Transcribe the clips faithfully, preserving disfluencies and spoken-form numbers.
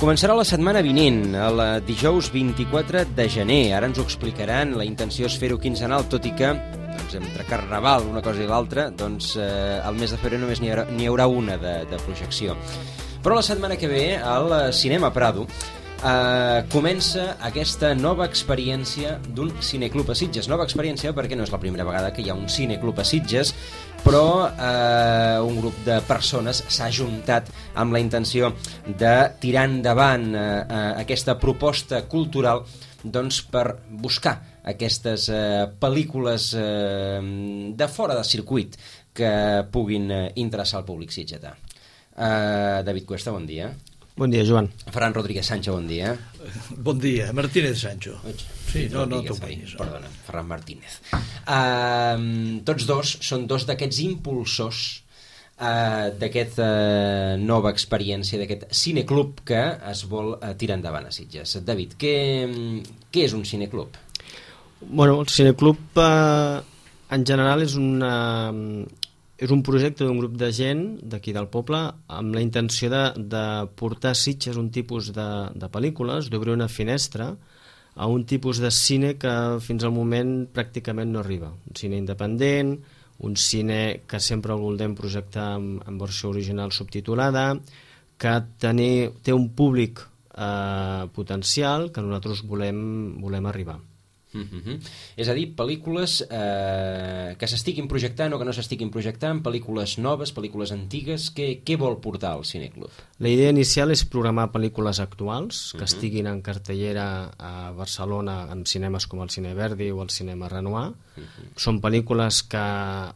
Començarà la setmana vinent, el dijous vint-i-quatre de gener. Ara ens ho explicaran, la intenció és fer-ho quinzenal, tot i que doncs, entre Carnaval, una cosa i l'altra, doncs, eh, al mes de febrer només n'hi haurà, n'hi haurà una de, de projecció. Però la setmana que ve, al Cinema Prado, eh, comença aquesta nova experiència d'un cineclub a Sitges. Nova experiència perquè no és la primera vegada que hi ha un cineclub a Sitges, però eh, un grup de persones s'ha ajuntat amb la intenció de tirar endavant eh, aquesta proposta cultural doncs, per buscar aquestes eh, pel·lícules eh, de fora del circuit que puguin eh, interessar al públic sitgetà. Eh, David Cuesta, bon dia. Bon dia, Joan. Ferran Rodríguez Sancho, bon dia. Bon dia, Martínez Sancho. Sí, no, no t'ompanyis. Perdona, Ferran Martínez. Uh, tots dos són dos d'aquests impulsors uh, d'aquesta uh, nova experiència, d'aquest cineclub que es vol uh, tirar endavant a Sitges. David, què, què és un cineclub? Bueno, el cineclub eh, en general és una... és un projecte d'un grup de gent d'aquí del poble amb la intenció de, de portar a Sitges un tipus de, de pel·lícules, d'obrir una finestra a un tipus de cine que fins al moment pràcticament no arriba. Un cine independent, un cine que sempre el voldem projectar en, en versió original subtitulada, que tenir, té un públic eh, potencial que nosaltres volem, volem arribar. Uh-huh. És a dir, pel·lícules eh, que s'estiguin projectant o que no s'estiguin projectant, pel·lícules noves, pel·lícules antigues. Què, què vol portar al cineclub? La idea inicial és programar pel·lícules actuals que uh-huh. estiguin en cartellera a Barcelona en cinemes com el Cine Verdi o el Cinema Renoir. Uh-huh. Són pel·lícules que,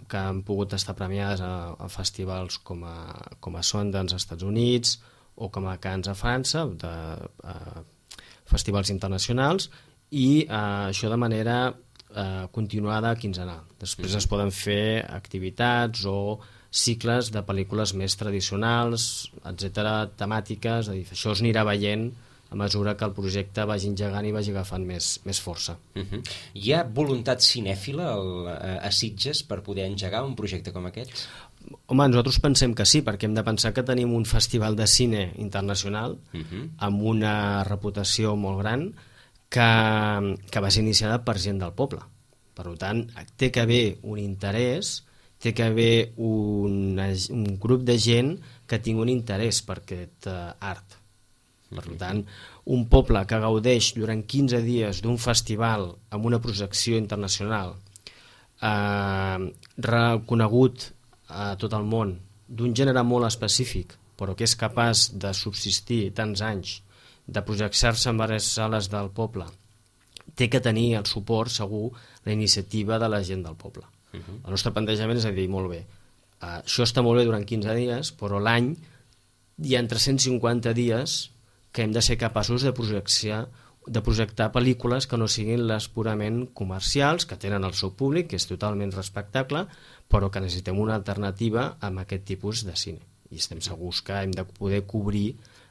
que han pogut estar premiades a, a festivals com a, com a Sundance als Estats Units o com a Cannes a França, de, a festivals internacionals, i eh, això de manera eh, continuada quinzenal. Després es poden fer activitats o cicles de pel·lícules més tradicionals, etcètera, temàtiques. És a dir, això es anirà veient a mesura que el projecte vagi engegant i vagi agafant més, més força. Uh-huh. Hi ha voluntat cinèfila al, a Sitges per poder engegar un projecte com aquest? Home, nosaltres pensem que sí, perquè hem de pensar que tenim un festival de cine internacional uh-huh. amb una reputació molt gran, que, que va ser iniciada per gent del poble. Per tant, té que haver un interès, té que haver un, un grup de gent que tingui un interès per aquest uh, art. Per tant, un poble que gaudeix durant quinze dies d'un festival amb una projecció internacional eh, reconegut a tot el món, d'un gènere molt específic, però que és capaç de subsistir tants anys, de projectar-se en diverses sales del poble, té que tenir el suport, segur, la iniciativa de la gent del poble. Uh-huh. El nostre plantejament és a dir, molt bé, uh, això està molt bé durant quinze dies, però l'any hi ha tres-cents cinquanta dies que hem de ser capaços de projectar, de projectar pel·lícules que no siguin les purament comercials, que tenen el seu públic, que és totalment respectable, però que necessitem una alternativa amb aquest tipus de cine. I estem segurs que hem de poder cobrir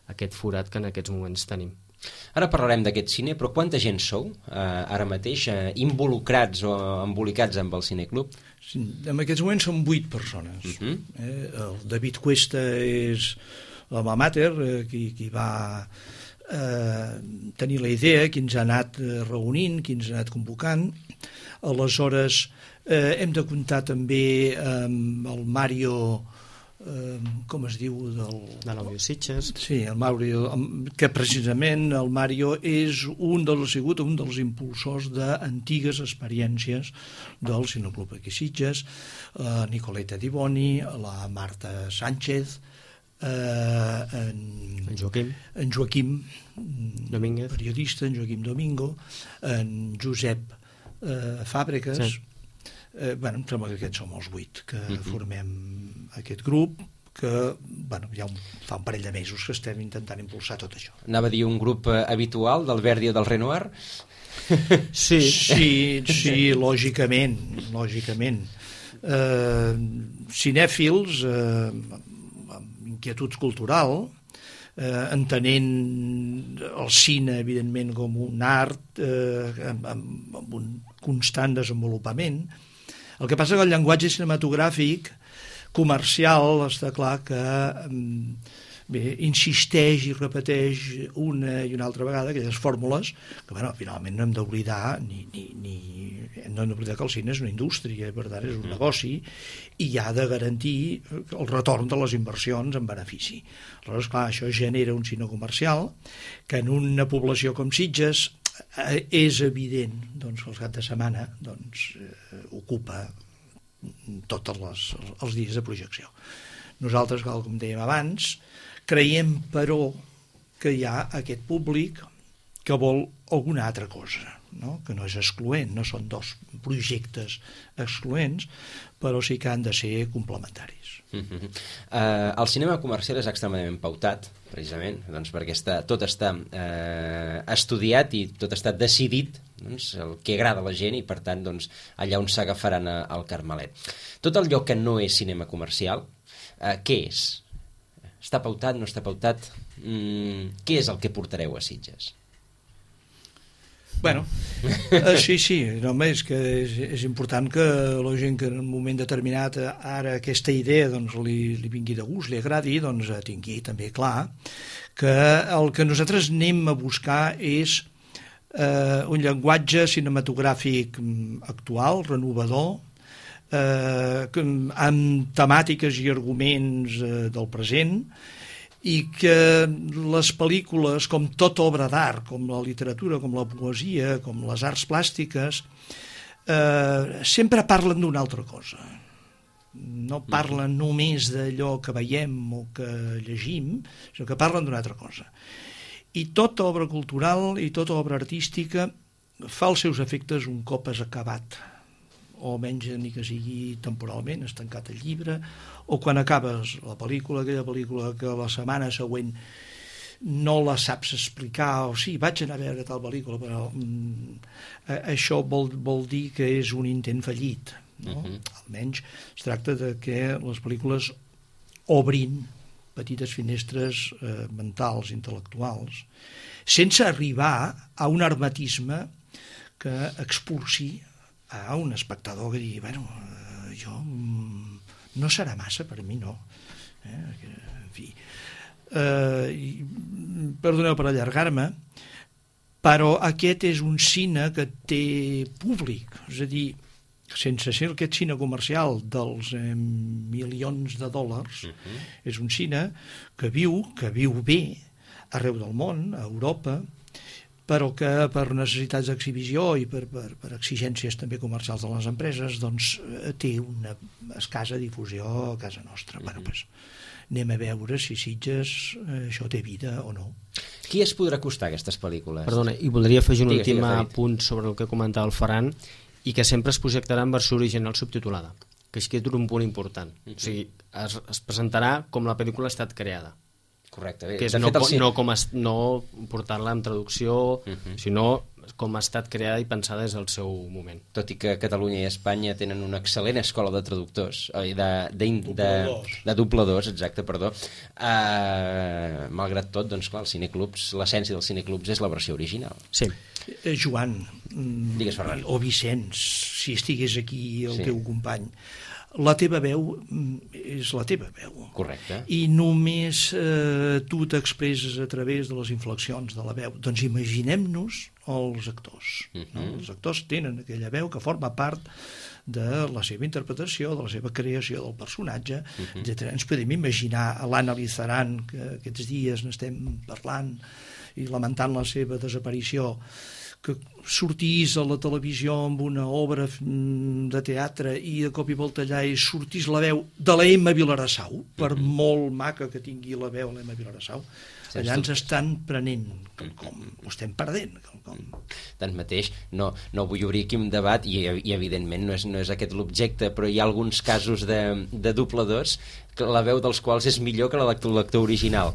aquest forat que en aquests moments tenim. Ara parlarem d'aquest cine, però quanta gent sou eh, ara mateix eh, involucrats o embolicats amb el cineclub? Sí, en aquests moments som vuit persones. Uh-huh. eh, el David Cuesta és l'home mater, eh, qui, qui va eh, tenir la idea, qui ens ha anat eh, reunint, qui ens ha anat convocant. Aleshores, eh, hem de comptar també amb el Mario... Uh, com es diu del... de l'Audio Sitges. Sí, el Mario, que precisament el Mario és un dels, ha sigut un dels impulsors d'antigues experiències del Cineclub aquí Sitges, uh, Nicoleta Diboni, la Marta Sánchez, uh, en, en Joaquim, en Joaquim Domínguez, periodista, en Joaquim Domingo, en Josep uh, Fàbregas. Sí. Eh, bueno, em sembla que aquests som els vuit que uh-huh. formem aquest grup que bueno, ja un, fa un parell de mesos que estem intentant impulsar tot això. Anava a dir un grup eh, habitual del Verdi o del Renoir? Sí, sí, sí, lògicament, lògicament. eh, cinèfils eh, amb inquietud cultural, eh, entenent el cine, evidentment, com un art eh, amb, amb un constant desenvolupament. El que passa que el llenguatge cinematogràfic comercial està clar que bé, insisteix i repeteix una i una altra vegada aquelles fórmules que, bueno, finalment no hem d'oblidar ni, ni, ni, no hem d'oblidar que el cine és una indústria, per tant és un negoci i ha de garantir el retorn de les inversions en benefici. Aleshores, clar, això genera un cine comercial que en una població com Sitges eh, és evident doncs, que el cap de setmana doncs, eh, ocupa tots les, els dies de projecció. Nosaltres, com dèiem abans, creiem, però, que hi ha aquest públic que vol alguna altra cosa, no? Que no és excloent, no són dos projectes excloents, però sí que han de ser complementaris. Uh-huh. uh, el cinema comercial és extremadament pautat, precisament, doncs, perquè està, tot està uh, estudiat i tot està decidit, doncs, el que agrada a la gent i, per tant, doncs, allà on s'agafaran al Carmelet. Tot allò que no és cinema comercial, uh, què és? Està pautat, no està pautat? Mm, què és el que portareu a Sitges? Bueno, eh, sí, sí, només que és, és important que la gent que en un moment determinat ara aquesta idea doncs, li, li vingui de gust, li agradi, doncs tingui també clar que el que nosaltres anem a buscar és eh, un llenguatge cinematogràfic actual, renovador, eh, amb temàtiques i arguments eh, del present, i que les pel·lícules, com tota obra d'art, com la literatura, com la poesia, com les arts plàstiques, eh, sempre parlen d'una altra cosa. No parlen només d'allò que veiem o que llegim, sinó que parlen d'una altra cosa. I tota obra cultural i tota obra artística fa els seus efectes un cop has acabat, o almenys ni que sigui temporalment, has tancat el llibre, o quan acabes la pel·lícula, aquella pel·lícula que la setmana següent no la saps explicar, o sí, vaig anar a veure tal pel·lícula, però mm, això vol, vol dir que és un intent fallit, no? Uh-huh. Almenys es tracta de que les pel·lícules obrin petites finestres eh, mentals, intel·lectuals, sense arribar a un hermetisme que expulsi a un espectador que digui, bueno, eh, jo mm, no serà massa, per mi no. Eh? En fi, eh, i, perdoneu per allargar-me, però aquest és un cine que té públic, és a dir, sense ser aquest cine comercial dels eh, milions de dòlars, uh-huh. És un cine que viu, que viu bé arreu del món, a Europa, però que per necessitats d'exhibició i per, per, per exigències també comercials de les empreses doncs té una escassa difusió a casa nostra. Mm-hmm. Bueno, pues, anem a veure si Sitges eh, això té vida o no. Qui es podrà costar aquestes pel·lícules? Perdona, i voldria afegir un Digues, últim digues, punt sobre el que comentava el Ferran, i que sempre es projectarà en versió original subtitulada, que és que és un punt important. Mm-hmm. O sigui, es, es presentarà com la pel·lícula ha estat creada. Correcte. Bé. Que és de no, fet, el... no, com es, no portar-la en traducció, uh-huh. sinó com ha estat creada i pensada des del seu moment. Tot i que Catalunya i Espanya tenen una excel·lent escola de traductors, de, de, de, de, de dobladors, exacte, perdó. Uh, malgrat tot, doncs clar, els cineclubs, l'essència dels cineclubs és la versió original. Sí. Eh, Joan, Digues, Ferran. O Vicenç, si estigués aquí el sí. teu company, la teva veu és la teva veu. Correcte. I només eh, tu t'expresses a través de les inflexions de la veu. Doncs imaginem-nos els actors. Uh-huh. No? Els actors tenen aquella veu que forma part de la seva interpretació, de la seva creació del personatge, uh-huh. etcètera. Ens podem imaginar l'Anna Lizaran, que aquests dies n'estem parlant i lamentant la seva desaparició, que sortís a la televisió amb una obra de teatre i de cop i volta allà i sortís la veu de la Emma Vilarassau, per mm-hmm. molt maca que tingui la veu l'Emma Vilarassau, allà ens dubtes. Estan prenent quelcom, ho estem perdent quelcom. Tanmateix, no, no vull obrir aquí un debat i, i evidentment no és, no és aquest l'objecte, però hi ha alguns casos de, de dobladors que la veu dels quals és millor que la de l'actor original.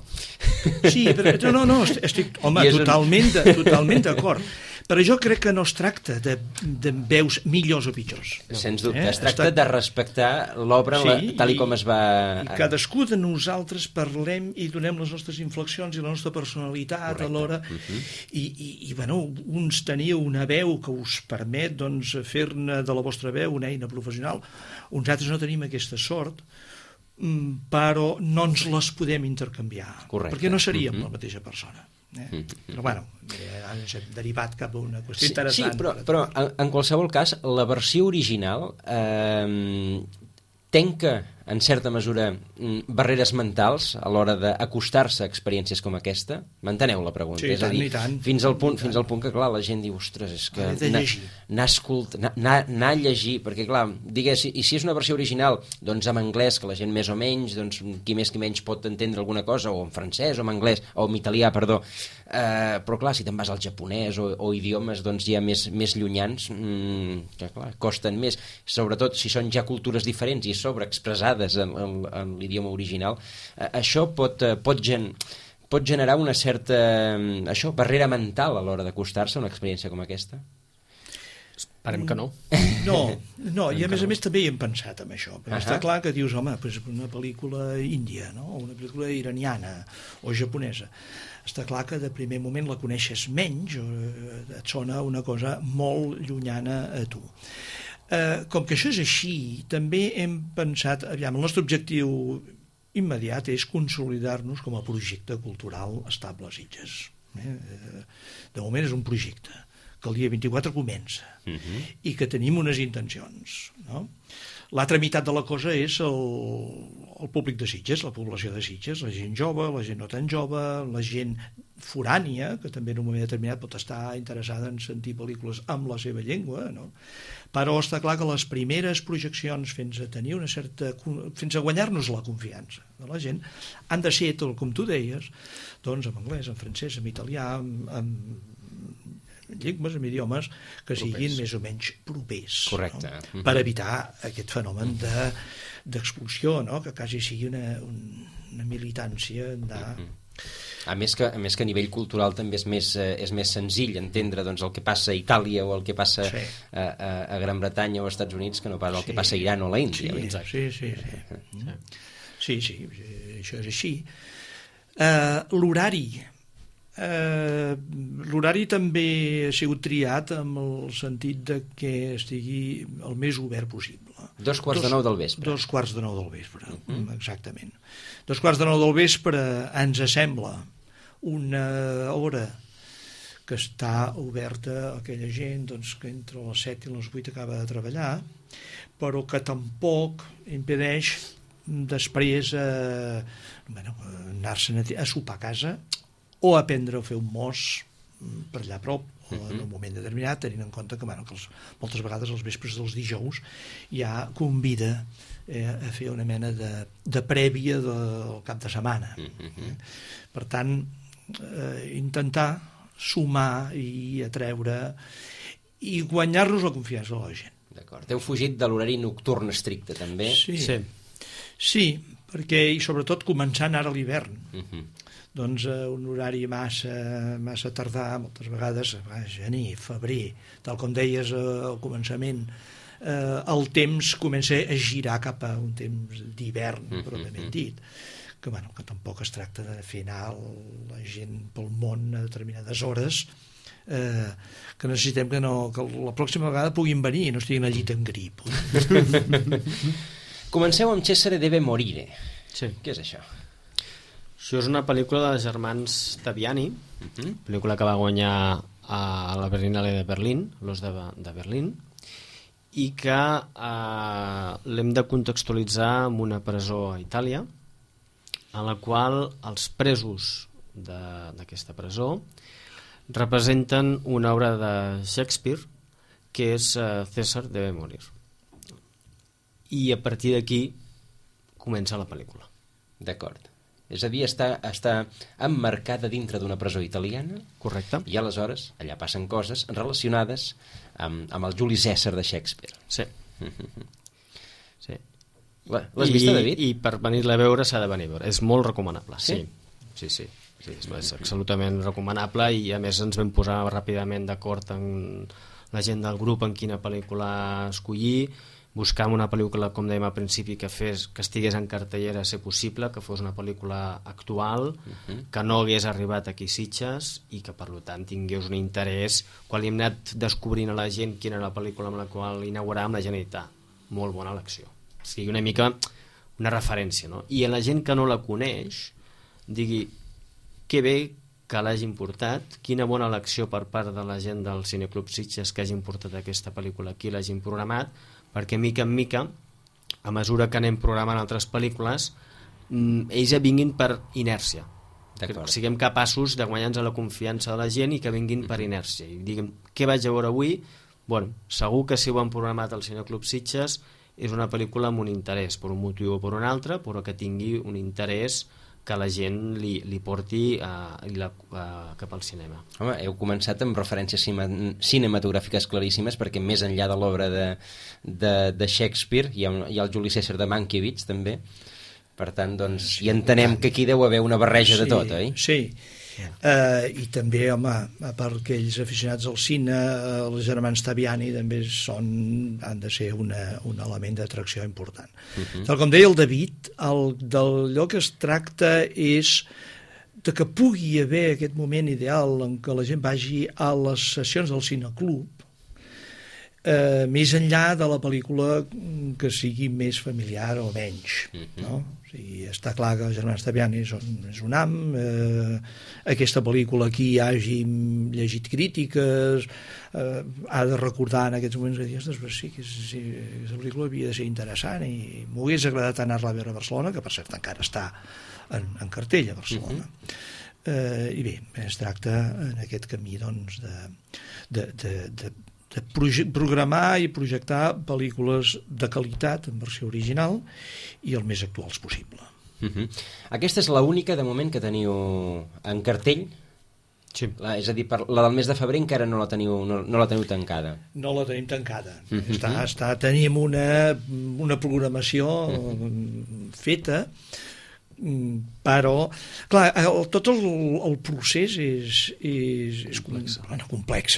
Sí, però no, no, estic, home, totalment, totalment d'acord. Però jo crec que no es tracta de, de veus millors o pitjors. Sens dubte, eh? es tracta de respectar l'obra sí, tal i com es va... I cadascú de nosaltres parlem i donem les nostres inflexions i la nostra personalitat Correcte. alhora. Uh-huh. I, i, i bueno, uns teniu una veu que us permet doncs, fer-ne de la vostra veu una eina professional, uns altres no tenim aquesta sort, però no ens les podem intercanviar. Correcte. Perquè no seríem uh-huh. la mateixa persona. Eh? Mm-hmm. Però bueno, ens hem derivat cap a una qüestió sí, interessant. Sí, però, però en, en qualsevol cas, la versió original eh, tenca, en certa mesura, barreres mentals a l'hora d'acostar-se a experiències com aquesta? M'enteneu la pregunta? Sí, és a dir, tant, tant, fins al punt, fins al punt que, clar, la gent diu, ostres, és que anar a llegir, perquè, clar, digues, i si és una versió original, doncs en anglès, que la gent més o menys, doncs qui més qui menys pot entendre alguna cosa, o en francès, o en anglès, o en italià, perdó, eh, però, clar, si te'n vas al japonès o, o idiomes, doncs, ja més, més llunyans, mmm, que, clar, costen més, sobretot si són ja cultures diferents i sobreexpressades en, en, en l'idioma original, eh, això pot, eh, pot, gen, pot generar una certa eh, això, barrera mental a l'hora d'acostar-se a una experiència com aquesta? Esperem que no. No, no i a més a més també hi hem pensat en això, perquè uh-huh. està clar que dius, home, pues una pel·lícula índia, no? O una pel·lícula iraniana o japonesa, està clar que de primer moment la coneixes menys, o et sona una cosa molt llunyana a tu. Eh, com que això és així, també hem pensat, aviam, el nostre objectiu immediat és consolidar-nos com a projecte cultural estable a Sitges. Eh? De moment és un projecte que el dia vint-i-quatre comença uh-huh. i que tenim unes intencions, no? L'altra meitat de la cosa és el, el públic de Sitges, la població de Sitges, la gent jove, la gent no tan jove, la gent forània, que també en un moment determinat pot estar interessada en sentir pel·lícules amb la seva llengua, no? Però està clar que les primeres projeccions fins a tenir una certa... fins a guanyar-nos la confiança de la gent han de ser, tot com tu deies, doncs en anglès, en francès, en italià, en, en llengües, en idiomes que siguin propers. Més o menys propers. Correcte. No? Mm-hmm. Per evitar aquest fenomen de, d'expulsió, no? Que quasi sigui una, una militància de... Mm-hmm. A més, que, a més que a nivell cultural també és més, eh, és més senzill entendre doncs, el que passa a Itàlia o el que passa sí. a, a, a Gran Bretanya o als Estats Units que no pas el sí. que passa a Iran o a l'Índia. Sí, sí, sí, sí. Sí, sí, sí, això és així. Uh, l'horari uh, l'horari també ha sigut triat amb el sentit de que estigui el més obert possible. Dos quarts dos, de nou del vespre. Dos quarts de nou del vespre, uh-huh. exactament. Dos quarts de nou del vespre ens sembla una hora que està oberta a aquella gent doncs, que entre les set i les vuit acaba de treballar, però que tampoc impedeix després eh, bueno, anar-se'n a, a sopar a casa o aprendre a fer un mos per allà a prop o en un moment determinat, tenint en compte que, bueno, que els, moltes vegades els vespres dels dijous ja convida eh, a fer una mena de, de prèvia del cap de setmana. Eh? Per tant, eh, intentar sumar i atreure i guanyar-nos la confiança de la gent. D'acord. Heu fugit de l'horari nocturn estricte, també? Sí, sí. sí perquè, i sobretot començant ara a l'hivern. Uh-huh. Doncs eh, un horari massa, massa tardà, moltes vegades, a gener, febrer, tal com deies eh, al començament, eh, el temps comença a girar cap a un temps d'hivern, mm-hmm. pròpiament dit, que, bueno, que tampoc es tracta de fer anar la gent pel món a determinades hores, eh, que necessitem que, no, que la pròxima vegada puguin venir i no estiguin al llit amb grip. Comenceu amb Cesare deve morire. Sí. Què és això? Això és una pel·lícula dels germans Taviani, uh-huh. pel·lícula que va guanyar a la Berlinale de Berlín, l'Os de, de Berlín, i que eh, l'hem de contextualitzar en una presó a Itàlia, en la qual els presos d'aquesta presó representen una obra de Shakespeare que és eh, César deve morir. I a partir d'aquí comença la pel·lícula. D'acord. És a dir, està, està emmarcada dintre d'una presó italiana. Correcte. I aleshores allà passen coses relacionades amb, amb el Juli Cèsar de Shakespeare. Sí. sí. L'has vista, David? I per venir-la a veure s'ha de venir a veure. És molt recomanable. Sí? Sí, sí. sí. sí, és absolutament recomanable i a més ens vam posar ràpidament d'acord en la gent del grup en quina pel·lícula escollir, buscàvem una pel·lícula, com dèiem al principi, que fes que estigués en cartellera a ser possible, que fos una pel·lícula actual, uh-huh. que no hagués arribat aquí Sitges i que per tant tingués un interès. Quan li hem anat descobrint a la gent quina era la pel·lícula amb la qual inauguràvem, la gent ha dit, molt bona elecció. O sigui, una mica una referència, no? I a la gent que no la coneix digui que bé que l'hagin portat, quina bona elecció per part de la gent del Cineclub Sitges que hagin portat aquesta pel·lícula aquí, l'hagin programat, perquè mica en mica, a mesura que anem programant altres pel·lícules, ells ja vinguin per inèrcia. Que siguem capaços de guanyar-nos la confiança de la gent i que vinguin per inèrcia. I diguem, què vaig a veure avui? Bueno, segur que si ho han programat al Cineclub Sitges és una pel·lícula amb un interès, per un motiu o per un altre, però que tingui un interès que la gent li, li porti uh, la, uh, cap al cinema. Home, heu començat amb referències cinematogràfiques claríssimes, perquè més enllà de l'obra de, de, de Shakespeare hi ha, un, hi ha el Juli César de Mankiewicz també, per tant doncs sí, hi entenem que aquí deu haver una barreja sí, de tot, oi? Sí, uh, i també, home, a part que ells aficionats al cine, uh, els germans Taviani també són, han de ser una, un element d'atracció important. Uh-huh. Tal com deia el David, el, d'allò que es tracta és de que pugui haver aquest moment ideal en què la gent vagi a les sessions del cineclub, eh, més enllà de la pel·lícula que sigui més familiar o menys, uh-huh. no? O sigui, està clar que els germans Taviani són, és un am, eh, aquesta pel·lícula aquí hàgim llegit crítiques, eh, ha de recordar en aquests moments de dir, ostres, sí, que sí, aquesta pel·lícula havia de ser interessant i m'hagués agradat anar-la a veure a Barcelona, que per cert encara està en, en cartell a Barcelona. Uh-huh. eh, I bé, es tracta en aquest camí doncs, de, de, de, de de programar i projectar pel·lícules de qualitat en versió original i el més actuals possible. Uh-huh. Aquesta és l'única de moment que teniu en cartell? Sí. La, és a dir, per, la del mes de febrer encara no la teniu, no, no la teniu tancada? No la tenim tancada. Uh-huh. està, està, tenim una, una programació uh-huh. feta, però clar, el, tot el, el procés és, és, és complex, bueno, complex,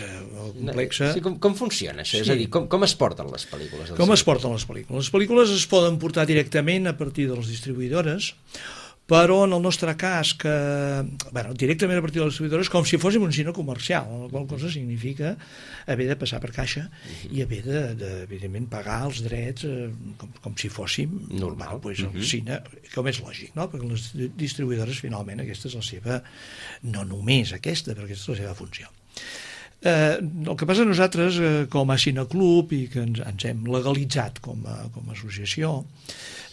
complex. Sí, com, com funciona això? Sí. És a dir, com, com es porten les pel·lícules? Com es porten les pel·lícules? Les pel·lícules es poden portar directament a partir de les distribuïdores, però en el nostre cas que, bueno, directament a partir de les distribuïdores com si fóssim un cine comercial, la qual cosa significa haver de passar per caixa uh-huh. i haver de, de, evidentment, pagar els drets eh, com, com si fóssim normal, pues, el uh-huh. cine, com és lògic, no? Perquè les distribuïdores finalment aquesta és la seva, no només aquesta, però aquesta és la seva funció. Eh, el que passa nosaltres eh, com a cineclub i que ens, ens hem legalitzat com a, com a associació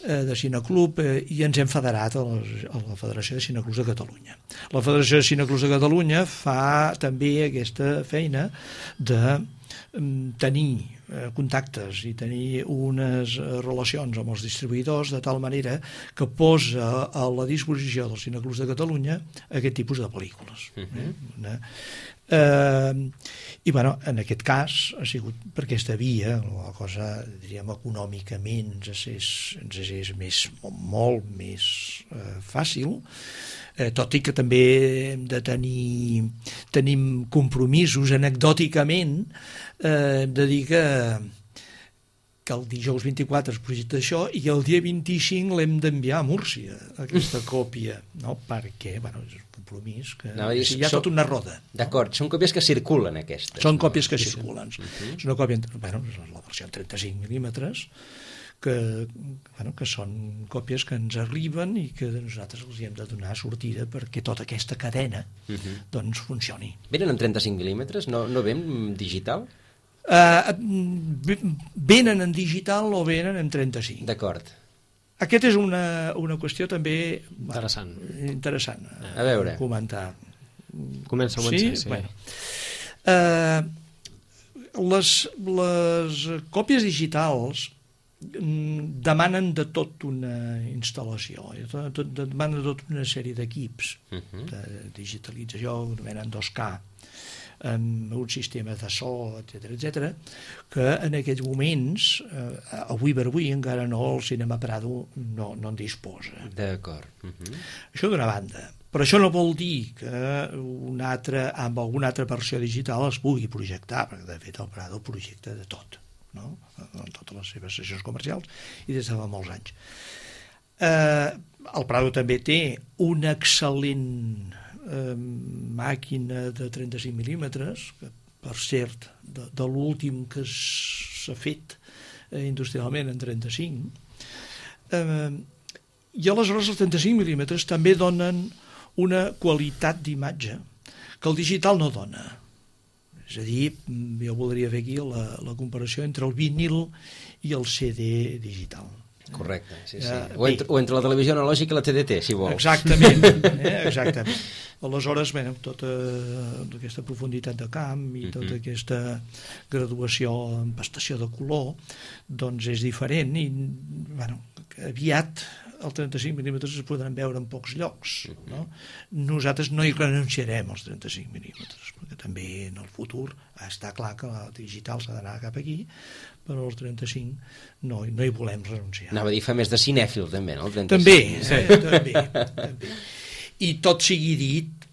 de cineclub eh, i ens hem federat a, les, a la Federació de Cineclubs de Catalunya. La Federació de Cineclubs de Catalunya fa també aquesta feina de mm, tenir eh, contactes i tenir unes relacions amb els distribuïdors de tal manera que posa a la disposició dels Cineclubs de Catalunya aquest tipus de pel·lícules. Uh-huh. eh? Una, Eh, i bueno, en aquest cas ha sigut per aquesta via la cosa, diríem, econòmicament ens és, ens és més, molt més eh, fàcil, eh, tot i que també hem de tenir tenim compromisos anecdòticament, eh, de dir que que el dijous vint-i-quatre es projecta això i el dia vint-i-cinc l'hem d'enviar a Múrcia, aquesta còpia, no? Perquè, bueno, és un compromís que no, és, hi ha tota una roda. D'acord, no? Són còpies que circulen aquestes. Són còpies que circulen. Uh-huh. És una còpia, bueno, és la versió en trenta-cinc mil·límetres, que, bueno, que són còpies que ens arriben i que nosaltres els hi hem de donar sortida perquè tota aquesta cadena uh-huh. doncs funcioni. Venen en trenta-cinc mil·límetres? No, no ven digital? Uh, venen en digital o venen en trenta-cinc. D'acord. Aquest és una, una qüestió també interessant, interessant a veure. Comentar. Comença a començar, sí. sí. Bueno. Uh, les, les còpies digitals demanen de tot una instal·lació, demanen de tot una sèrie d'equips uh-huh. de digitalització, venen dos K, amb un sistema de so, etcètera, etcètera, que en aquests moments, eh, avui per avui, encara no, el Cinema Prado no, no en disposa. D'acord. Uh-huh. Això d'una banda. Però això no vol dir que una altra, amb alguna altra versió digital es pugui projectar, perquè de fet el Prado projecta de tot, no? En totes les seves sessions comercials i des de fa molts anys. Eh, el Prado també té una excel·lent eh, màquina de trenta-cinc mil·límetres, que per cert, de, de l'últim que s'ha fet eh, industrialment en trenta-cinc, eh, i aleshores els trenta-cinc mil·límetres també donen una qualitat d'imatge que el digital no dona. És a dir, jo voldria fer aquí la, la comparació entre el vinil i el C D digital. Correcte, sí, sí. Eh, o, entre, o entre la televisió analògica i la T D T, si vols. Exactament, eh? Exactament. Aleshores, bé, tota aquesta profunditat de camp i tota uh-huh. aquesta graduació en pastació de color, doncs és diferent i, bueno, aviat els trenta-cinc mil·límetres es podran veure en pocs llocs, no? Nosaltres no hi renunciarem als trenta-cinc mil·límetres, perquè també en el futur està clar que el digital s'ha d'anar cap aquí, però els trenta-cinc no, no hi volem renunciar. Anava a dir, fa més de cinèfil, també, no? El trenta-cinc. També, sí. eh? també, també. I tot sigui dit,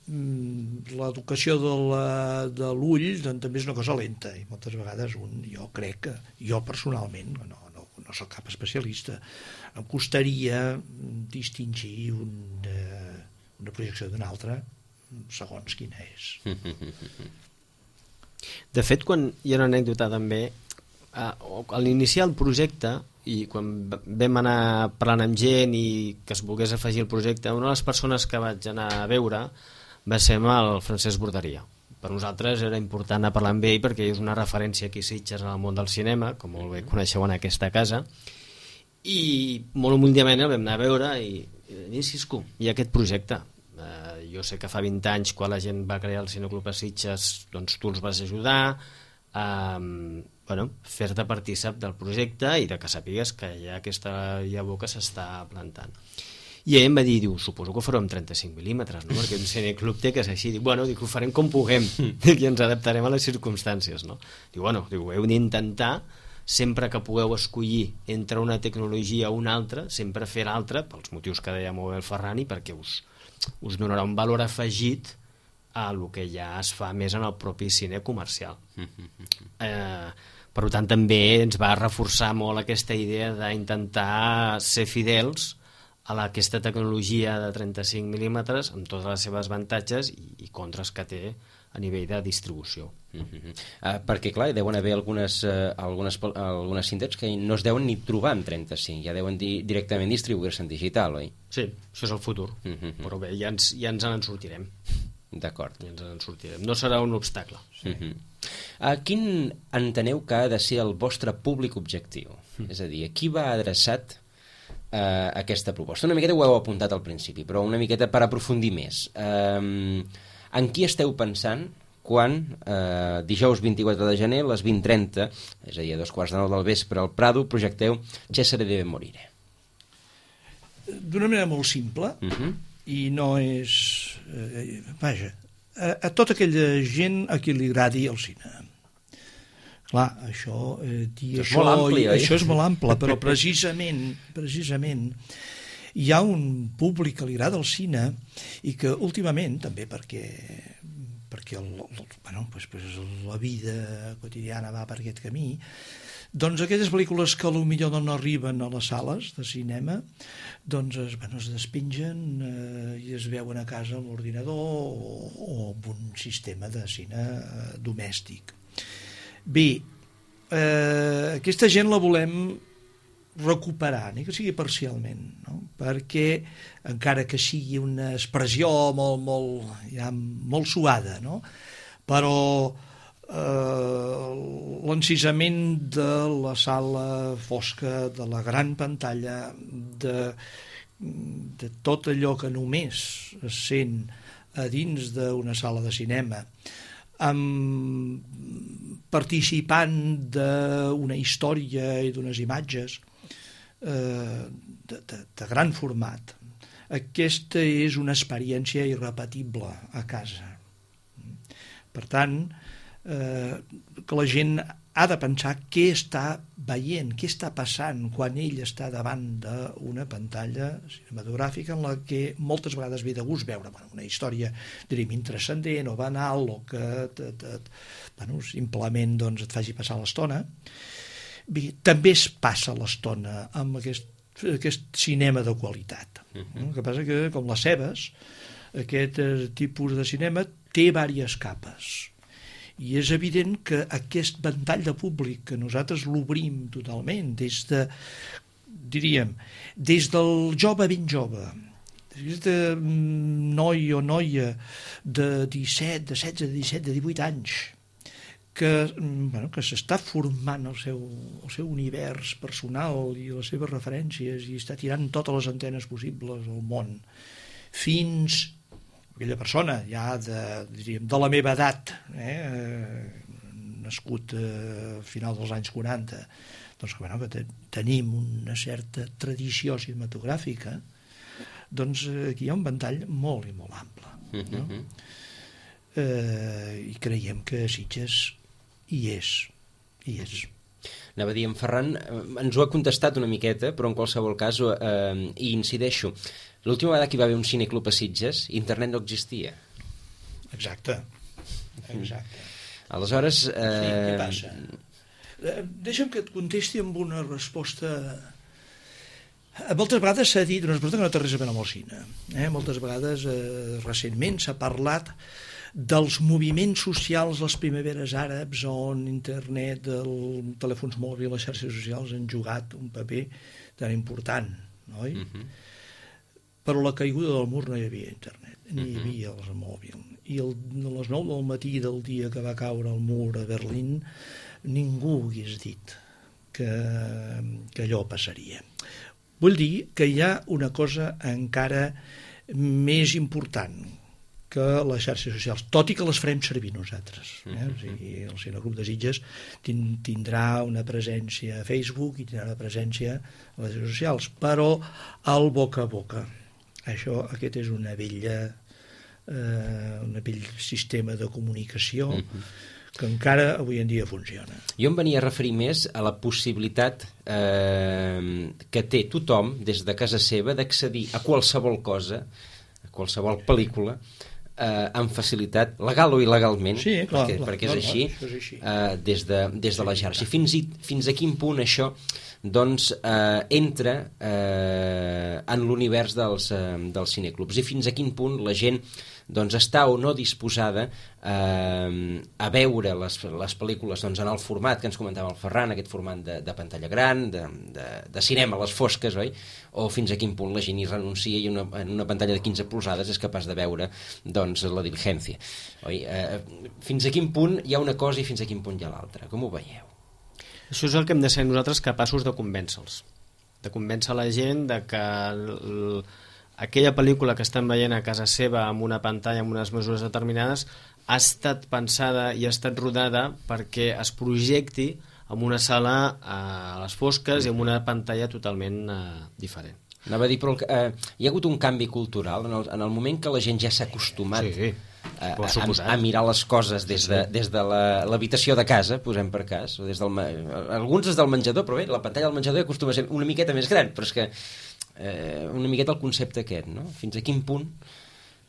l'educació de l'ull doncs, també és una cosa lenta, i moltes vegades un, jo crec que, jo personalment, no, no, no soc cap especialista, em costaria distingir una, una projecció d'una altra segons quina és. De fet, quan hi ha una anècdota també, a l'iniciar el projecte i quan vam anar parlant amb gent i que es volgués afegir el projecte, una de les persones que vaig anar a veure va ser el Francesc Borderia. Per nosaltres era important anar a parlar amb ell perquè és una referència aquí a Sitges en el món del cinema, com molt bé coneixeu en aquesta casa, i molt humilment el vam anar a veure i, i Cisco, hi ha aquest projecte. Eh, jo sé que fa vint anys, quan la gent va crear el Cineclub a Sitges, doncs tu els vas ajudar a bueno, fer-te partícip del projecte i de que sàpigues que hi ha aquesta llavor que s'està plantant. I ell em va dir, diu, suposo que ho farem amb trenta-cinc mil·límetres, no? Perquè un cineclub té que és així. Diu, bueno, dic, ho farem com puguem i ens adaptarem a les circumstàncies, no? Diu, bueno, diu, heu d'intentar, sempre que pugueu escollir entre una tecnologia o una altra, sempre fer l'altra, pels motius que deia molt bé el Ferrani, perquè us, us donarà un valor afegit a el que ja es fa més en el propi cine comercial. Eh, per tant, també ens va reforçar molt aquesta idea d'intentar ser fidels a la, aquesta tecnologia de trenta-cinc mil·límetres amb totes les seves avantatges i, i contres que té a nivell de distribució. Uh-huh. uh, perquè clar, hi deuen haver algunes, uh, algunes, algunes cintes que no es deuen ni trobar en trenta-cinc, ja deuen di directament distribuir-se en digital, oi? Sí, això és el futur, uh-huh. Però bé, ja ens, ja ens en sortirem. D'acord. Ja ens en sortirem, no serà un obstacle. Sí. Uh-huh. uh, quin enteneu que ha de ser el vostre públic objectiu? Uh-huh. És a dir, a qui va adreçat uh, aquesta proposta? Una miqueta ho heu apuntat al principi, però una miqueta per aprofundir més. Uh, en qui esteu pensant quan eh, dijous vint-i-quatre de gener a les vint trenta, és a dir, a dos quarts de nou del vespre al Prado, projecteu Cesare deve morire? D'una manera molt simple, uh-huh. I no és... Eh, vaja, a, a tota aquella gent a qui li agradi el cine. Clar, això, eh, dir això, això, és molt ampli, oi? Això és molt ample, però precisament, precisament hi ha un públic que li agrada el cine i que últimament, també perquè perquè el, el, bueno, pues, pues la vida quotidiana va per aquest camí, doncs aquelles pel·lícules que potser no arriben a les sales de cinema doncs es, bueno, es despengen eh, i es veuen a casa amb l'ordinador o, o amb un sistema de cine eh, domèstic. Bé, eh, aquesta gent la volem recuperar, ni que sigui parcialment, no? Perquè encara que sigui una expressió molt, molt, ja, molt suada, no? Però eh, l'encisament de la sala fosca, de la gran pantalla, de, de tot allò que només es sent a dins d'una sala de cinema, amb participant d'una història i d'unes imatges De, de, de gran format. Aquesta és una experiència irrepetible a casa. Per tant, eh, que la gent ha de pensar què està veient, què està passant quan ell està davant d'una pantalla cinematogràfica en la que moltes vegades ve de gust veure bueno, una història, diríem, intrascendent o banal o que te, te, bueno, simplement doncs, et faci passar l'estona. Bé, també es passa l'estona amb aquest, aquest cinema de qualitat. Uh-huh. El que passa que, com les cebes, aquest tipus de cinema té diverses capes. I és evident que aquest ventall de públic que nosaltres l'obrim totalment, des de, diríem, des del jove ben jove, des de noi o noia de disset, de setze, de disset, de divuit anys, que, bueno, que s'està formant el seu, el seu univers personal i les seves referències i està tirant totes les antenes possibles al món, fins aquella persona ja de, diríem, de la meva edat, eh, nascut a final dels anys quaranta, doncs que, bueno, que te, tenim una certa tradició cinematogràfica, doncs aquí hi ha un ventall molt i molt ample. No? Uh-huh. Eh, I creiem que Sitges hi és, hi és. Anava a dir, en Ferran ens ho ha contestat una miqueta, però en qualsevol cas eh, hi incideixo. L'última vegada que hi va haver un cineclub a Sitges, internet no existia. Exacte. Exacte. Aleshores... Eh... Sí, què passa? Eh, deixa'm que et contesti amb una resposta... Moltes vegades s'ha dit una resposta que no té res a veure amb el cine. Eh? Moltes vegades, eh, recentment, s'ha parlat dels moviments socials, les primaveres àrabs, on internet, els telèfons mòbils, les xarxes socials han jugat un paper tan important, no? Uh-huh. Però a la caiguda del mur no hi havia internet, ni hi havia els mòbils. I el, a les nou del matí del dia que va caure el mur a Berlín, ningú hagués dit que, que allò passaria. Vull dir que hi ha una cosa encara més important que les xarxes socials, tot i que les farem servir nosaltres. Eh? O sigui, el Cinegrup de Sitges tindrà una presència a Facebook i tindrà una presència a les xarxes socials, però al boca a boca. Això, aquest és una vella, eh, un vell sistema de comunicació uh-huh. que encara avui en dia funciona. Jo em venia a referir més a la possibilitat eh, que té tothom des de casa seva d'accedir a qualsevol cosa, a qualsevol pel·lícula, eh, amb facilitat, legal o il·legalment, sí, clar, perquè, clar, perquè és, clar, així, clar, és així. Eh, des, de, des de la xarxa. Fins, i, fins a quin punt això doncs eh, entra eh, en l'univers dels, eh, dels cineclubs i fins a quin punt la gent doncs, està o no disposada eh, a veure les, les pel·lícules doncs, en el format que ens comentava el Ferran, aquest format de, de pantalla gran, de, de, de cinema a les fosques, oi? O fins a quin punt la gent hi renuncia i una, en una pantalla de quinze polzades és capaç de veure doncs, la diligència. Oi? Eh, fins a quin punt hi ha una cosa i fins a quin punt hi ha l'altra? Com ho veieu? Això és el que hem de ser nosaltres capaços de convèncer-los, de convèncer la gent de que l, aquella pel·lícula que estan veient a casa seva amb una pantalla amb unes mesures determinades ha estat pensada i ha estat rodada perquè es projecti en una sala a les fosques i amb una pantalla totalment eh, diferent. Anava a dir, però eh, hi ha hagut un canvi cultural en el, en el moment que la gent ja s'ha acostumat sí, a, a, a mirar les coses des de, des de l'habitació de casa, posem per cas, o des del, alguns des del menjador, però bé, la pantalla del menjador acostuma a ser una miqueta més gran, però és que eh, una miqueta el concepte aquest, no? Fins a quin punt...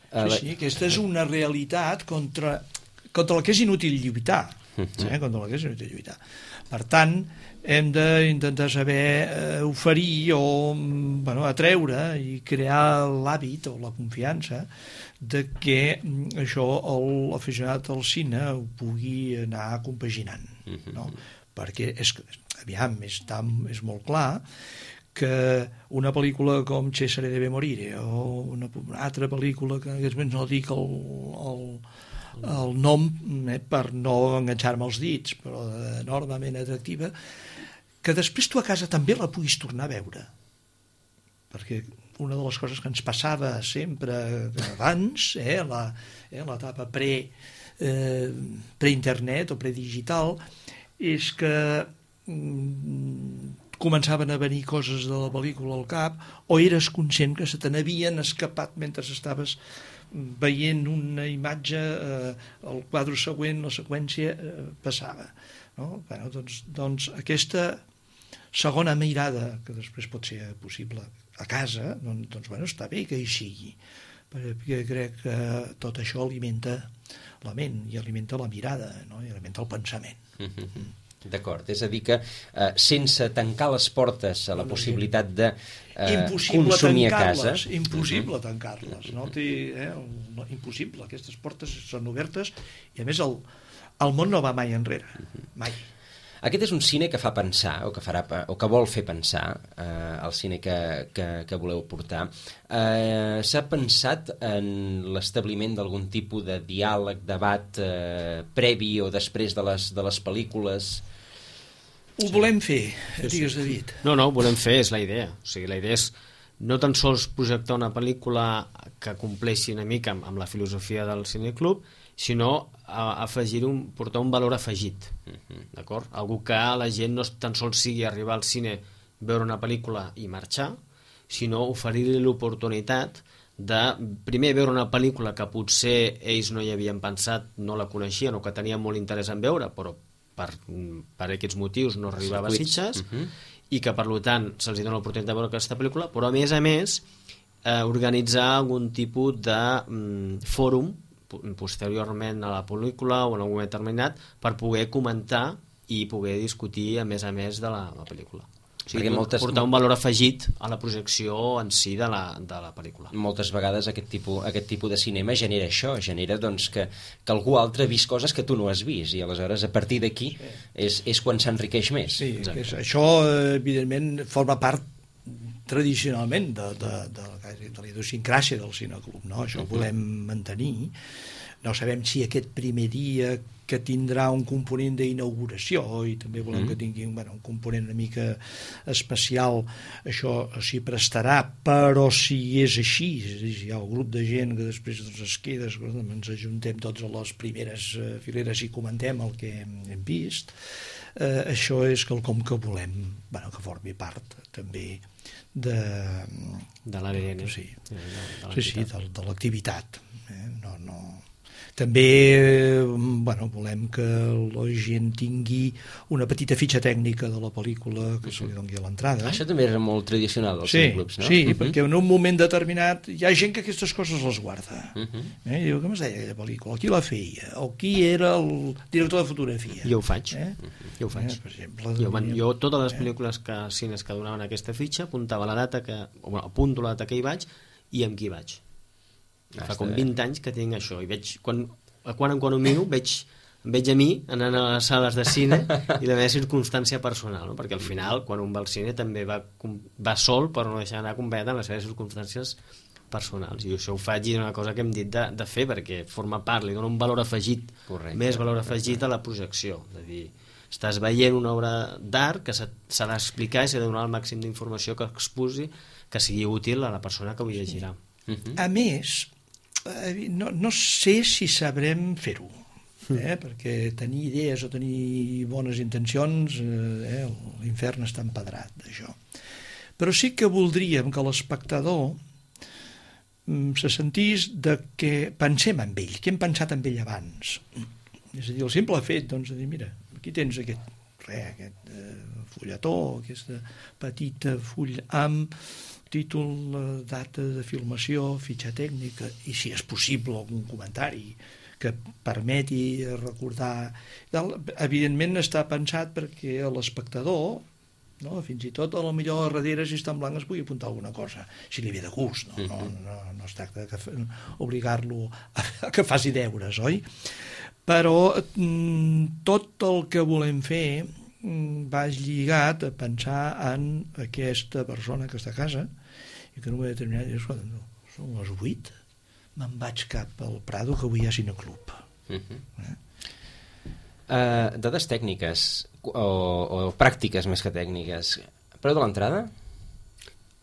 Eh, sí, sí, aquesta és una realitat contra, contra la que és inútil lluitar, eh, contra la que és inútil lluitar. Per tant, hem d'intentar saber eh, oferir o bueno, atreure i crear l'hàbit o la confiança de que això l'aficionat al cine ho pugui anar compaginant, no? Perquè és, aviam, està, és molt clar que una pel·lícula com Cesare deve morire o una, una altra pel·lícula que en aquests moments no dic el, el, el nom eh, per no enganxar-me els dits, però enormement atractiva, que després tu a casa també la puguis tornar a veure, perquè una de les coses que ens passava sempre abans, eh, la, eh, l'etapa pre, eh, pre-internet o pre-digital, és que mm, començaven a venir coses de la pel·lícula al cap o eres conscient que se te n'havien escapat mentre estaves veient una imatge, eh, el quadre següent, la seqüència eh, passava. no? Bueno, doncs, doncs aquesta segona mirada, que després pot ser possible a casa, doncs, doncs bueno, està bé que hi sigui, perquè crec que tot això alimenta la ment i alimenta la mirada, no? I alimenta el pensament. Mm-hmm. D'acord, és a dir que eh, sense tancar les portes a la possibilitat de eh, consumir a casa... Impossible tancar-les, no? Té, eh, no, impossible, aquestes portes són obertes i a més el, el món no va mai enrere, mai. Aquest és un cine que fa pensar, o que, farà, o que vol fer pensar, eh, el cine que, que, que voleu portar. Eh, S'ha pensat en l'establiment d'algun tipus de diàleg, debat eh, previ o després de les, de les pel·lícules? Ho volem fer, digues, David. No, no, ho volem fer, és la idea. O sigui, la idea és no tan sols projectar una pel·lícula que compleixi una mica amb, amb la filosofia del cineclub, sinó a afegir un, portar un valor afegit, uh-huh. D'acord? Algú que la gent no tan sols sigui arribar al cine, veure una pel·lícula i marxar, sinó oferir-li l'oportunitat de primer veure una pel·lícula que potser ells no hi havien pensat, no la coneixien o que tenien molt interès en veure, però per, per aquests motius no arribava a Sitges, uh-huh. I que per tant se'ls dona l'oportunitat de veure aquesta pel·lícula, però a més a més eh, organitzar algun tipus de mm, fòrum posteriorment a la pel·lícula o en algun moment determinat per poder comentar i poder discutir a més a més de la, la pel·lícula. O sigui, moltes... portar un valor afegit a la projecció en si de la, de la pel·lícula. Moltes vegades aquest tipus, aquest tipus de cinema genera això, genera doncs, que, que algú altre ha vist coses que tu no has vist i aleshores a partir d'aquí sí. és, és quan s'enriqueix més. Sí, és, això evidentment forma part tradicionalment de, de, de, de la idiosincràsia del cineclub, no? Això ho volem mantenir. No sabem si aquest primer dia que tindrà un component d'inauguració i també volem que tingui bueno, un component una mica especial, això s'hi prestarà, però si és així, si hi ha un grup de gent que després doncs, es queda, ens ajuntem tots a les primeres fileres i comentem el que hem vist, eh, això és quelcom que volem bueno, que formi part també de, de l'A D N, sí, de, de sí, sí, de, de l'activitat. Eh? No, no. També bueno, volem que la gent tingui una petita fitxa tècnica de la pel·lícula que se li doni a l'entrada. Això també era molt tradicional dels sí, clubs, no? Sí, uh-huh. Perquè en un moment determinat hi ha gent que aquestes coses les guarda. Uh-huh. Eh? Diu, com es deia aquella pel·lícula? Qui la feia? O qui era el director de fotografia? Jo ho faig. Eh? Jo ho faig. Eh, per exemple, jo, man, jo totes les pel·lícules que, cines que donaven aquesta fitxa apuntava la data que, o bueno, apunto la data que hi vaig i amb qui vaig. Ah, fa com vint anys que tinc això i veig, quan, quan en quan ho miro veig, veig a mi anant a les sales de cine i la meva circumstància personal, no? Perquè al final quan un va al cine també va, va sol però no deixar anar acompanyat en les seves circumstàncies personals i això ho faig i és una cosa que hem dit de, de fer perquè forma part, li dona un valor afegit. Correcte. Més valor afegit a la projecció, és a dir, estàs veient una obra d'art que s'ha d'explicar i s'ha de donar el màxim d'informació que exposi que sigui útil a la persona que ho llegirà. Sí. Uh-huh. A més, no, no sé si sabrem fer-ho, eh? Perquè tenir idees o tenir bones intencions, eh, l'infern està empedrat d'això. Però sí que voldríem que l'espectador se sentís de que pensem en ell, que hem pensat en ell abans. És a dir, el simple fet doncs, de dir, mira, aquí tens aquest, re, aquest eh, fulletó, aquesta petita full amb títol, data de filmació, fitxa tècnica i si és possible algun comentari que permeti recordar. Evidentment està pensat perquè l'espectador, no, fins i tot a lo millor a darrere si està en blanc es pugui apuntar alguna cosa, si li ve de gust, no, no, no, no es tracta d'obligar-lo a, a que faci deures, oi? Però tot el que volem fer va lligat a pensar en aquesta persona que està a casa i que en un moment determinat dius, no, són les vuit, me'n vaig cap al Prado que avui hi ha cineclub. Uh-huh. eh? Uh, dades tècniques o, o pràctiques més que tècniques, preu de l'entrada?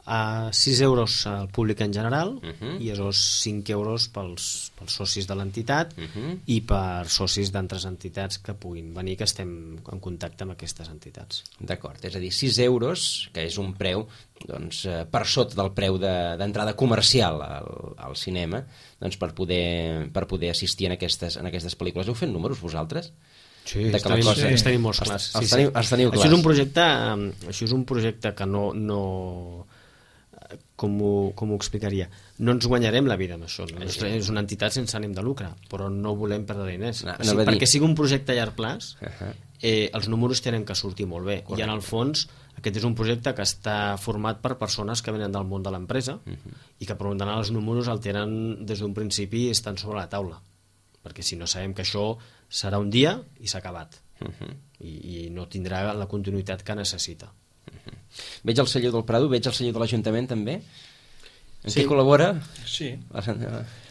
A sis euros al públic en general uh-huh. i a cinc euros pels, pels socis de l'entitat uh-huh. i per socis d'altres entitats que puguin venir, que estem en contacte amb aquestes entitats. D'acord, és a dir, sis euros, que és un preu doncs, per sota del preu d'entrada de, comercial al, al cinema, doncs per poder, per poder assistir en aquestes, en aquestes pel·lícules. Heu fet números vosaltres? Sí, de els que la tenim, cosa... els tenim molts clars. Els, els, sí, teniu, sí. els teniu clars. Això és un projecte, això és un projecte que no... no com ho, com ho explicaria? No ens guanyarem la vida amb això. No? És una entitat sense ànim de lucre, però no volem perdre diners. No, o sigui, no perquè dir... sigui un projecte a llarg plaç, uh -huh. eh, els números tenen que sortir molt bé. Correcte. I en el fons aquest és un projecte que està format per persones que venen del món de l'empresa uh -huh. i que per tant els números el tenen des d'un principi i estan sobre la taula, perquè si no sabem que això serà un dia i s'ha acabat uh -huh. I, i no tindrà la continuïtat que necessita. Uh -huh. Veig el celler del Prado, veig el celler de l'Ajuntament també. En sí. què col·labora? Sí,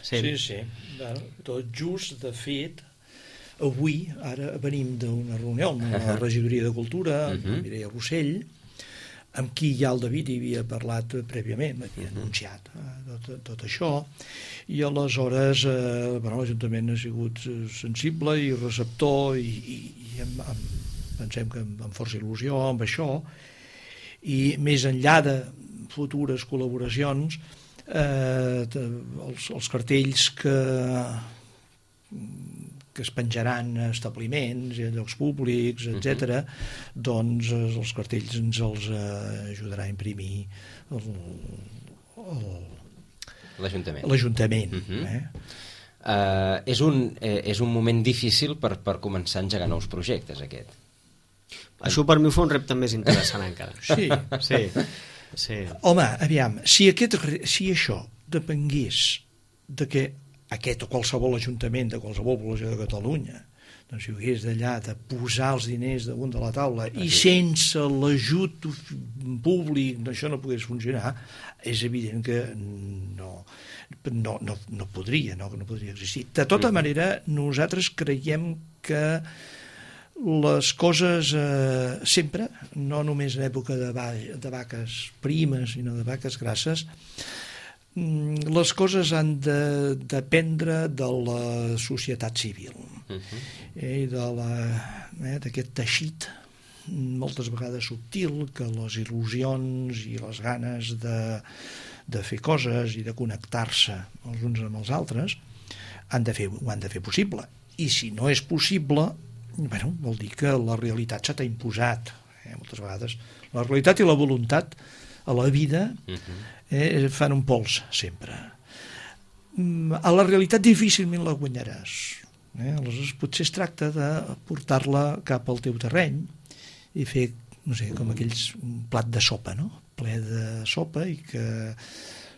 sí, sí, sí. Bueno, tot just, de fet, avui, ara venim d'una reunió amb la regidoria de Cultura, amb uh -huh. Mireia Rossell, amb qui ja el David hi havia parlat prèviament, m'havia uh -huh. anunciat eh, tot, tot això, i aleshores eh, bueno, l'Ajuntament ha sigut sensible i receptor i, i, i amb, amb, pensem que amb, amb força il·lusió amb això, i més enllà de futures col·laboracions, eh, els, els cartells que que es penjaran a establiments i a llocs públics, etcètera, uh-huh. doncs els cartells ens els ajudarà a imprimir el, el, l'Ajuntament. L'Ajuntament. Uh-huh. eh? uh, és, un, eh, és un moment difícil per, per començar a engegar nous projectes, aquest. Això per mi fa un repte més interessant encara. Sí. Sí. Sí. Home, aviam, si, aquest, si això depengués de que aquest o qualsevol ajuntament de qualsevol població de Catalunya doncs si ho hagués d'allà de posar els diners damunt de la taula i sense l'ajut públic això no pogués funcionar, és evident que no, no, no, no podria no, no podria existir. De tota manera, nosaltres creiem que les coses eh, sempre, no només en època de, va, de vaques primes sinó de vaques grasses, les coses han de dependre de la societat civil uh-huh. eh, de la, eh, d'aquest teixit moltes vegades subtil que les il·lusions i les ganes de, de fer coses i de connectar-se els uns amb els altres han de fer, ho han de fer possible, i si no és possible, bueno, vol dir que la realitat se t'ha imposat eh, moltes vegades la realitat i la voluntat a la vida uh-huh. eh, fan un pols sempre. A la realitat difícilment la guanyaràs, eh? Aleshores potser es tracta de portar-la cap al teu terreny i fer, no sé, com aquells un plat de sopa, no? Ple de sopa, i que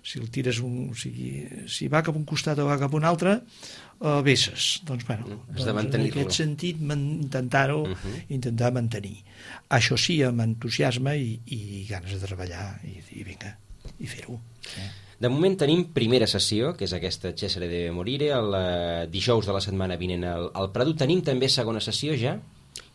si el tires un, o sigui, si va cap un costat o va cap un altre, uh, vesses. Doncs, bueno, Has de doncs en aquest sentit intentar-ho, uh-huh. intentar mantenir. Això sí, amb entusiasme i, i ganes de treballar i, i vinga, i fer-ho. Eh? De moment tenim primera sessió, que és aquesta Cesare de Morire, el uh, dijous de la setmana vinent al, al Prado. Tenim també segona sessió ja?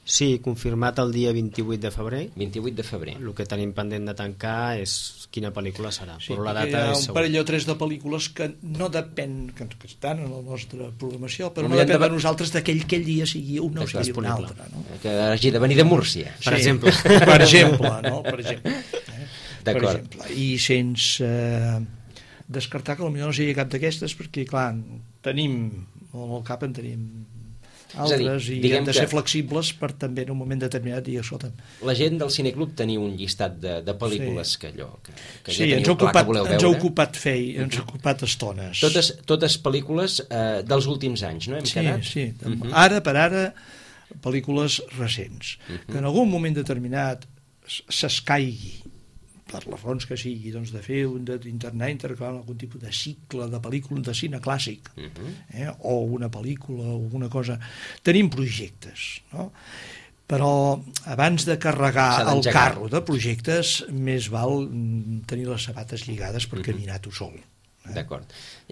Sí, confirmat el dia vint-i-vuit de febrer. vint-i-vuit de febrer. El que tenim pendent de tancar és quina pel·lícula serà. Sí, però la data hi ha és un segur. parell o tres de pel·lícules que no depèn, que, que estan en la nostra programació, però no no depèn de... de nosaltres d'aquell aquell dia sigui un o sigui un altre. No? Que hagi de venir de Múrcia. Per sí, exemple. Per exemple, no? Per exemple. Eh? D'acord. Per exemple. I sense eh, descartar que potser no sigui cap d'aquestes, perquè, clar, tenim, al cap en tenim altres, dir, i hem de ser flexibles per també en un moment determinat dir, escolta'm. La gent del Cineclub teniu un llistat de, de pel·lícules sí. que allò que, que sí, ja ens teniu ocupat, clar que voleu veure. ens ha ocupat fer, ens ha ocupat estones. Totes, totes pel·lícules eh, dels últims anys, no? Hem sí, quedat? sí, uh-huh. ara per ara pel·lícules recents, uh-huh. que en algun moment determinat s'escaigui per les raons que sigui, doncs de fer un d'internar intercalar algun tipus de cicle de pel·lícula de cine clàssic, uh-huh. eh, o una pel·lícula o alguna cosa. Tenim projectes, no? Però abans de carregar el carro de projectes més val tenir les sabates lligades per uh-huh. caminar tu sol. Eh? D'acord.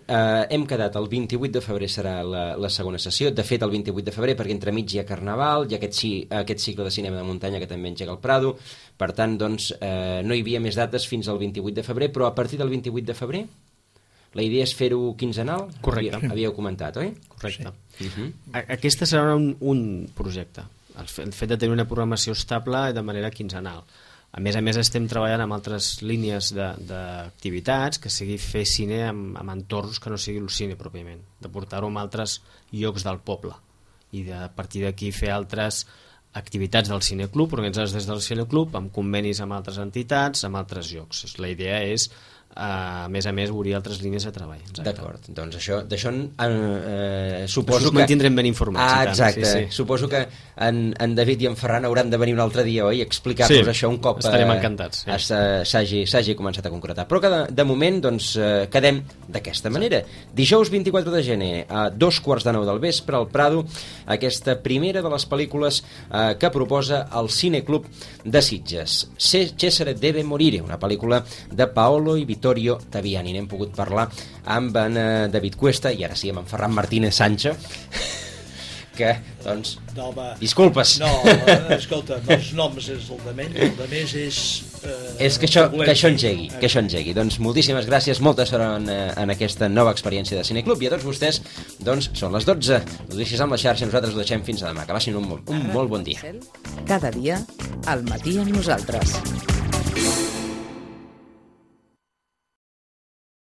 Uh, hem quedat el vint-i-vuit de febrer serà la, la segona sessió. De fet, el vint-i-vuit de febrer, perquè entremig hi ha Carnaval, hi ha aquest, aquest cicle de cinema de muntanya que també engega el Prado. Per tant, doncs, eh, no hi havia més dates fins al vint-i-vuit de febrer, però a partir del vint-i-vuit de febrer la idea és fer-ho quinzenal? Correcte. Havíeu, havíeu comentat, oi? Correcte. Sí. Uh-huh. Aquesta serà un, un projecte. El fet de tenir una programació estable de manera quinzenal. A més a més estem treballant amb altres línies d'activitats, que sigui fer cine amb, amb entorns que no sigui el cine pròpiament, de portar-ho a altres llocs del poble i de, a partir d'aquí fer altres activitats del cineclub, organitzades des del cineclub, amb convenis amb altres entitats, amb altres llocs. La idea és, a més a més, obrir altres línies de treball. D'acord, doncs això, d'això eh, suposo que... Us mantindrem ben informats. Ah, exacte, sí, sí. Suposo que en, en David i en Ferran hauran de venir un altre dia, oi? Explicar-nos sí, això un cop estarem encantats, sí. s'hagi començat a concretar. Però que de, de moment doncs, eh, quedem d'aquesta manera. Dijous vint-i-quatre de gener, a dos quarts de nou del vespre, al Prado, aquesta primera de les pel·lícules eh, que proposa el Cineclub de Sitges. Cesare deve morire, una pel·lícula de Paolo i Vittorio Taviani. N'hem pogut parlar amb en David Cuesta i ara sí amb en Ferran Martínez Sancho, que, doncs, no, va. disculpes. No, escolta, els noms és el de menys, el de més és... Eh, és que això, que això engegui, que això engegui. Doncs moltíssimes gràcies, molta sort en, en aquesta nova experiència de Cineclub, i a tots vostès, doncs, són les dotze. Ho deixis amb la xarxa, nosaltres ho deixem fins a demà. Que passin un, un molt bon dia. Cada dia, al matí amb nosaltres.